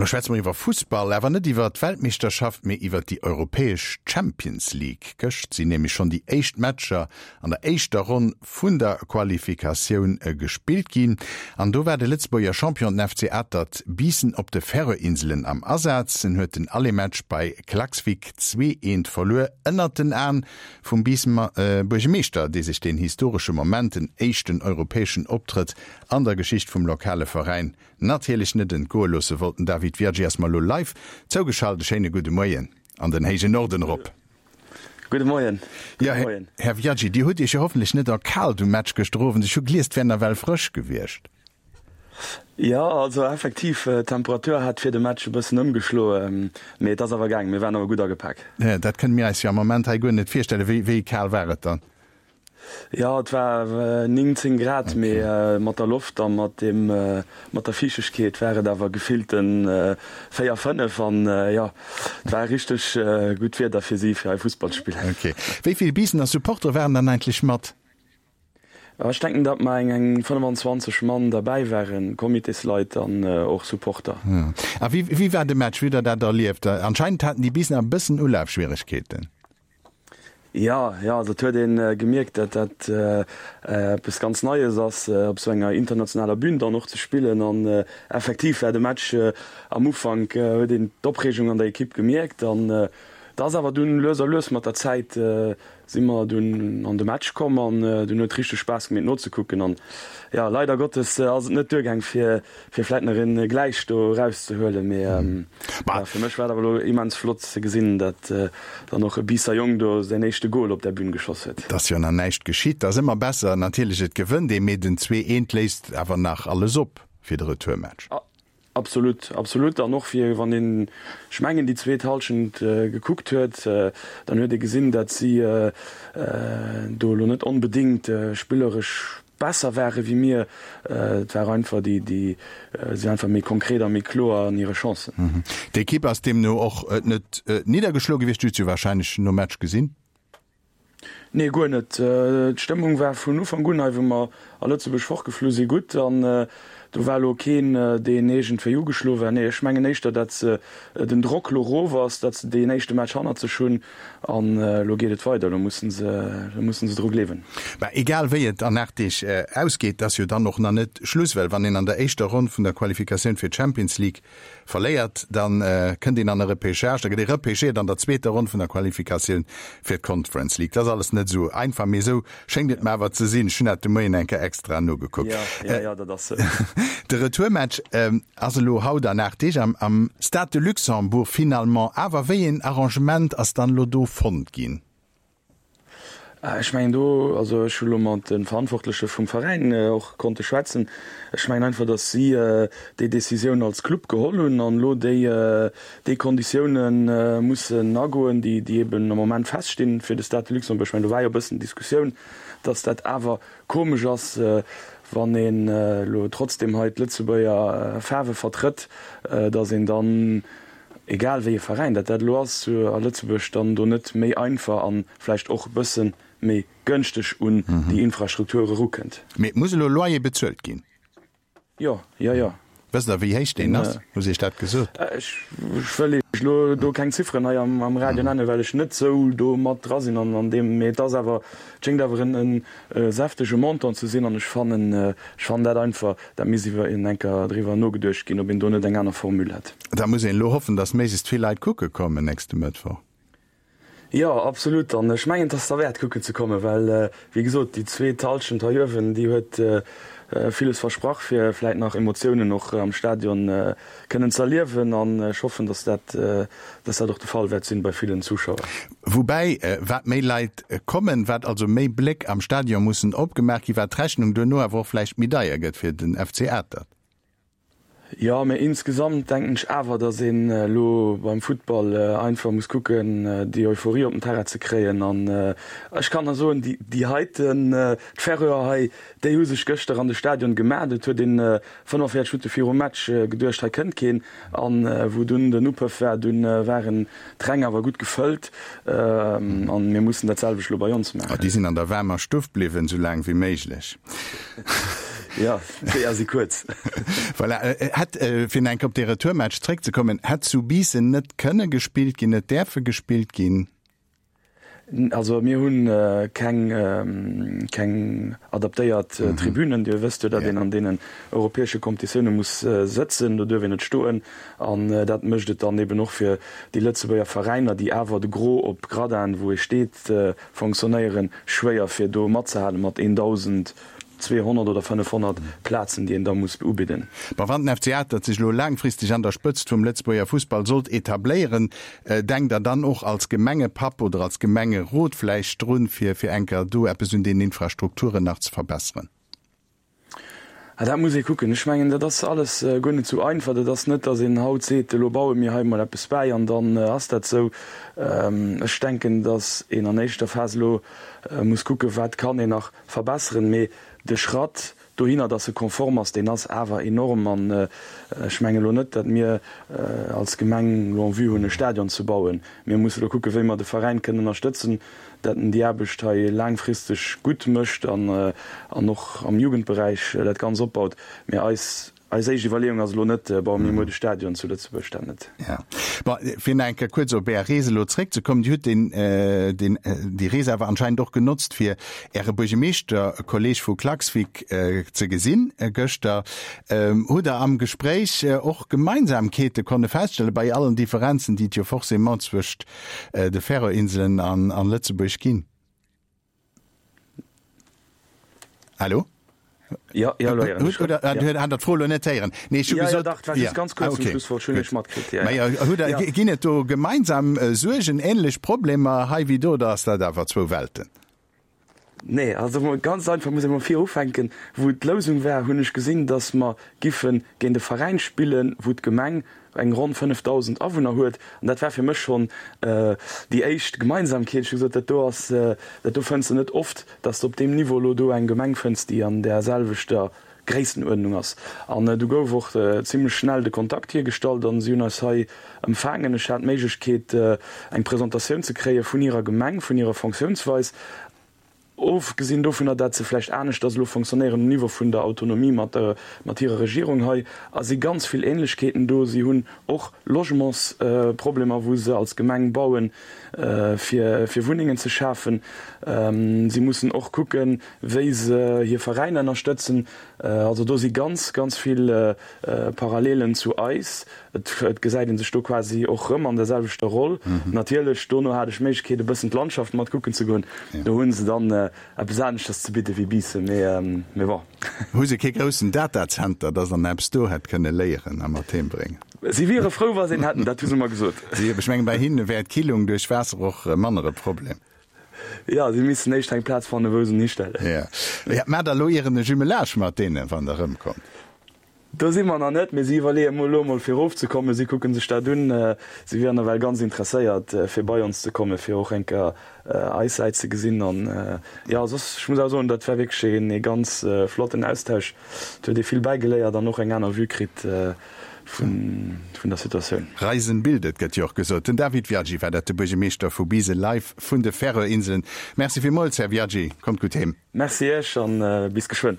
An lo schwätze mer iwwer Fussball, awer net iwwer d'Weltmeeschterschaft, mee iwwer déi europäesch Champions League. Gëscht sinn nämlech schonn déi éischt Matcher an der éischter Ronn vun der Qualifikatioun gespillt ginn. An do war de Lëtzebuerger Champion, den FC Atert Biissen op de Färöer-Inselen am Asaz. En huet den Aller-Match bei Klaksvik 2, 1 verluer, ënnert den Aen vum Biissener Buergemeeschter, dee sech deen historesche Moment, den éischten europäeschen Optrëtt an der Geschicht vum lokale Veräin, natierlech net entgoe loosse wollt. Den David Viaggi ass mer elo live zougeschalt. E schéine gudde Moien an den héijen Norden erop. Gudde Moien. Jo, Här Viaggi, Dir hutt Iech jo hoffentlech net erkaalt um Match gëschter Owend. Ech hu gelies, et wär nawell frësch gewiescht. Jo, also effektiv, d'Temperatur hat fir de Match e bëssen ëmgeschloe, mee et ass awer gaangen. Mir waren awer gutt agepak. Dat kënne mir eis jo am Moment hei guer net virstellen. Wéi kal war et dann? Jo, et war 19 Grad, mee mat der Loft a mat dem, mat der Fiichtegkeet war et awer gefillten 4, 5 an jo, et war richteg gutt Wieder fir si, fir hei Fussball ze spillen. Ok. Wéi vill Biissener Supportere waren dann eigentlech mat? Ech denken, datt mer eng eng 25 Mann derbäi waren, Comitésleit an och Supporter. A wéi, wéi war de Match? Wéi hutt der dat erlieft? Anscheinend haten déi Biissener e bëssen Ulafschwieregkeeten. Jo, jo, also et huet ee gemierkt, datt dat eppes ganz Neies ass, op esou enger internationaler Bün dann och ze spillen. An effektiv war de Match am Ufank, huet een d'Opreegung an der Ekipp gemierkt. An et ass awer dunn lues a lues mat der Zäit si mer dunn an de Match komm an dunn huet richteg Spaass gemeet nozekucken. An jo, leider Gottes ass et net duergaang fir fir vläit nach een gläich do eraus ze huelen, mee ja, fir mech war et awer elo immens flott ze gesinn, dat dann och e Biisser Jong do säin éischte Goal op där Bühn geschoss huet. Et ass jo nach näischt geschitt, ass ëmmer besser natierlech, et gewënnt ee, mee den 2, 1 léisst awer nach alles op fir de Retourmatch. Absolut, absolut, an och fir wann een, ech mengen déi zweet Halschent gekuckt huet, dann huet ee gesinn, dat si do elo net onbedéngt spilleresch besser ware wéi mir. Et war einfach déi, déi sinn einfach méi konkret a méi kloer an hire Chancen. D'Ekipp ass deemno och net niddergeschloe gewiescht. Du hues se jo warscheinlech nom Match gesinn? Nee, guer net. D'Stëmmung war vun Ufank un hei, wou mer a Lëtzebuerg fortgeflu si, gutt an do war elo keen, deen iergendwéi ugeschloe war. Nee, ech mengen éischter, datt den Drock lo erof ass, datt se deen éischte Match hannert sech hunn An elo geet et weider, elo mussen se, elo mussen se dru gleewen. Mä egal wéi et an 8 Deeg ausgeet, ass jo dann och nach net Schluss, well wann een an der éischter Ronn vun der Qualifikatioun fir d'Champions League verléiert, da kënnt een an e Repêchage, da gëtt ee repêchéiert an der zweeter Ronn vun der Qualifikatioun fir d'Conference League. Dat ass alles net esou einfach, mee esou schéngt et mer awer ze sinn. Ech hunn dat de Moien eng Kéier extra nogekuckt. Jo, jo, jo, dat ass esou. De Retourmatch Ass elo haut an 8 Deeg am Stade de Luxembourg finalement. Awer wéi een Arrangement ass dann elo do fonnt ginn? Ech mengen do, also ech hu lo mat de Verantwortleche vum Veräin och konnte schwätzen, ech mengen einfach, datt si déi Decisioun als Club geholl hunn an elo déi déi Konditioune mussen agoen, déi déi eben am Moment feststinn fir de Stade de Luxembourg. Ech mengen do war jo e bëssen Diskussioun, datt dat awer Komesch ass, wann een elo trotzdem hei d'Lëtzebuerger Faarwe vertrëtt, datt een dann, egal wéi e Veräin dat dat elo ass, a Lëtzebuerg dann do net méi einfach a vläicht och e bësse méi gënschteg un déi Infrastruktur erukënnt. Mee muss elo Loyer bezuelt ginn? Jo, jo, jo. Wësst Der, wéi héich deen ass? Hu se Iech dat gesot? Ech wëll Iech elo do keng Zifferen hei am Radio nennen, well ech net esou do mat dra sinn an deem, mee et ass awer, et schéngt awer en säftege Montant ze sinn an ech fannen, ech fannen dat einfach, dat misst iwwer eng Kéier driwwer nogeduecht ginn, ob een do net eng aner Formule hätt. Da muss een elo hoffen, datt méiglechst vill Leit kucke kommen nächste Mëttwoch. Jo, absolut. An ech mengen, et ass derwäert kucken ze kommen, well, wéi gesot, déi zweet Hallschent hei uewen, déi huet villes versprach, fir vläit nach Emotiounen och am Stadion kënnen ze erliewen. An ech hoffen, dass dat, dass dat och de Fall wäert sinn bei villen Zuschauer. Woubäi, wat méi Leit kommen, wat also méi Bléck am Stadion mussen opgemaach ginn, wat d'Rechnung duerno awer och vläicht méi deier gëtt fir den FC Atert. Jo, mee insgesamt denken ech awer, datt een elo beim Futtball einfach muss kucken, déi Euphorie op den Terrain ze kréien. An ech kann der soen, déi heiten, d'Färöer hei, déi hu sech gëschter an de Stadion gemaat. Et huet een 45 Minutte virum Match geduecht, hei kënnt keen. An wou dunn den Upëff war, dunn waren d'Räng awer gutt gefëllt. An mir mussen dat selwecht elo bei ons maachen. Déi sinn an der waarmer Stuff bliwwen, esou laang wéi méiglech. Jo, d'Weeër si kuerz. Voilà. Hätt, fir nach eng Kéier op dee Retourmatch zréckzekommen, hätt zu Biissen net kënne gespillt ginn, net däerfe gespillt ginn? Also mir hu keng, keng adaptéiert Tribünen. Dir wësst jo, datt een an deenen europäesche Competitioune muss sëtzen, do duerf een net stoen. An dat mécht et dann eben och fir déi Lëtzebuerger Veräiner, déi awer de Gros op Gradin, wou ee steet, fonctionnéieren, schwéier fir do matzehalen mat 1.200 oder 500 Plazen, déi een da muss ubidden. Bon, wann den FC Atert sech elo laangfristeg an der Spëtzt vum Lëtzebuerger Fussball sollt etabléieren, denkt Der dann och als Gemengepapp oder als Gemengerot vläicht drun, fir fir enker do eppes un den Infrastrukturen nach ze verbesseren? Ah, dat muss ee kucken. Ech mengen, dat ass alles guer net esou einfach. Dat ass net, datt een haut seet, elo baue mir hei emol eppes bäi an dann ass dat esou. Ech denken, datt een an éischter Phas elo muss kucken, wat kann een nach verbesseren. Mee de Schratt dohinner, datt e konform ass, deen ass awer enorm. An ech mengen elo net, datt mir als Gemeng elo en vue hunn, e Stadion ze bauen. Mir musse elo kucken, wéi mer de Veräin kënnen ënnerstëtzen, dat en déi Aarbecht hei laangfristeg gutt mécht an och am Jugendberäich dat Ganz opbaut. Mee eis eis éischt Iwwerleeung ass elo net, baue mir muer de Stadion zu Lëtzebuerg, dat net. Jo. Bon, fir nach eng Kéier kuerz op Är Rees elo zréckzekommen, Dir hutt deen, deen, déi Rees awer anscheinend och genotzt, fir Äre Buergemeeschterkolleeg vu Klaksvík ze gesinn gëschter. Hutt Der am Gespréich och Gemeinsamkeete konne feststellen, bei allen Differenzen, déi et jo forcément zwëscht de Färöerinselen an an Lëtzebuerg ginn? Hallo? Ja, ja, elo héieren ech. Oder hat Der d'Fro elo net héieren? Nee, ech hu gesot. Ja, ja, dach, war just ganz kuerz zum Schlusswort, ech hunn Iech matkritt, ja, ja. Mä hutt Der, ginn et do gemeinsam Suergen, änlech Problemer hei wéi do, oder ass dat awer zwou Welten? Nee, also ganz einfach muss ee mol vir ufänken. Wou d'Lousung war, hunn ech gesinn, datt mer giffe géint e Veräin spillen, wou d'Gemeng eng ronn 5.000 Awunner huet. An dat war fir mech schonn déi éischt Gemeinsamkeet. Ech hu gesot, dat do ass, dat do fënns de net oft, datt s de op deem Niveau elo do eng Gemeng fënns, déi an där selwechter Gréisstenuerdnung ass. An du gouf och zimlech schnell de Kontakt hiergestallt an si hunn eis hei empfaangen. Ech hat d'Méiglechkeet eng Presentatioun ze kréie vun hirer Gemeng, vun hirer Fonctiounsweis, ofgesinn dovunner, dat se vläicht aneschters elo fonctionnéieren um Niveau vun der Autonomie mat mat hirer Regierung hei, a si ganz vill Ähnlechkeeten do. Si hunn och Logementsproblemer, wou se als Gemeng bauen, fir fir Wunnengen ze schafen. Si mussen och kucken, wéi se hir Veräiner ënnerstëtzen. Also do si ganz, ganz vill Parallelen zu eis. Et gesäit ee sech do quasi och rëm an der selwechter Roll. Natierlech, dono hat ech d'Méiglechkeet e bëssen d'Landschaft mat kucken ze goen. Do hu se dann eppes aneschters ze bidde wéi Biissen, mee bon. Hu se kee groussen Datacenter, dass an eppes do hätt kënne léieren a mat heem bréngen? Si wiere frou, wa se een hätten, dat hu se mer gesot. Ech mengen, bei hinne wär d'Killung duerch Waasser och manner e Problem. Jo, si missten éischt eng Plaz fannen, wou se en histellen. Jo. Maacht der elo ieren e Jumelage mat deenen, wann der erëmkommt? Do si mer nach net, mee si iwwerleeë mol elo mol fir erofzekommen. Si kucke sech dat un. Si wieren nawell ganz interesséiert, fir bei ons ze kommen, fir och eng Kéier eis Säit ze gesinn. An jo, soss, ech muss awer soen, dat war wierklech een ee ganz flotten Austausch. Et huet ee vill bäigeléiert an och eng aner Vue kritt vun der Situatioun. Reisen bildet, gëtt jo och gesot. Den David Viaggi war dat, de Buergermeeschter vu Biisel, live vun de Färöer-Inselen. Merci villmools, Här Viaggi. Kommt gutt heem. Merci Iech an bis geschwënn.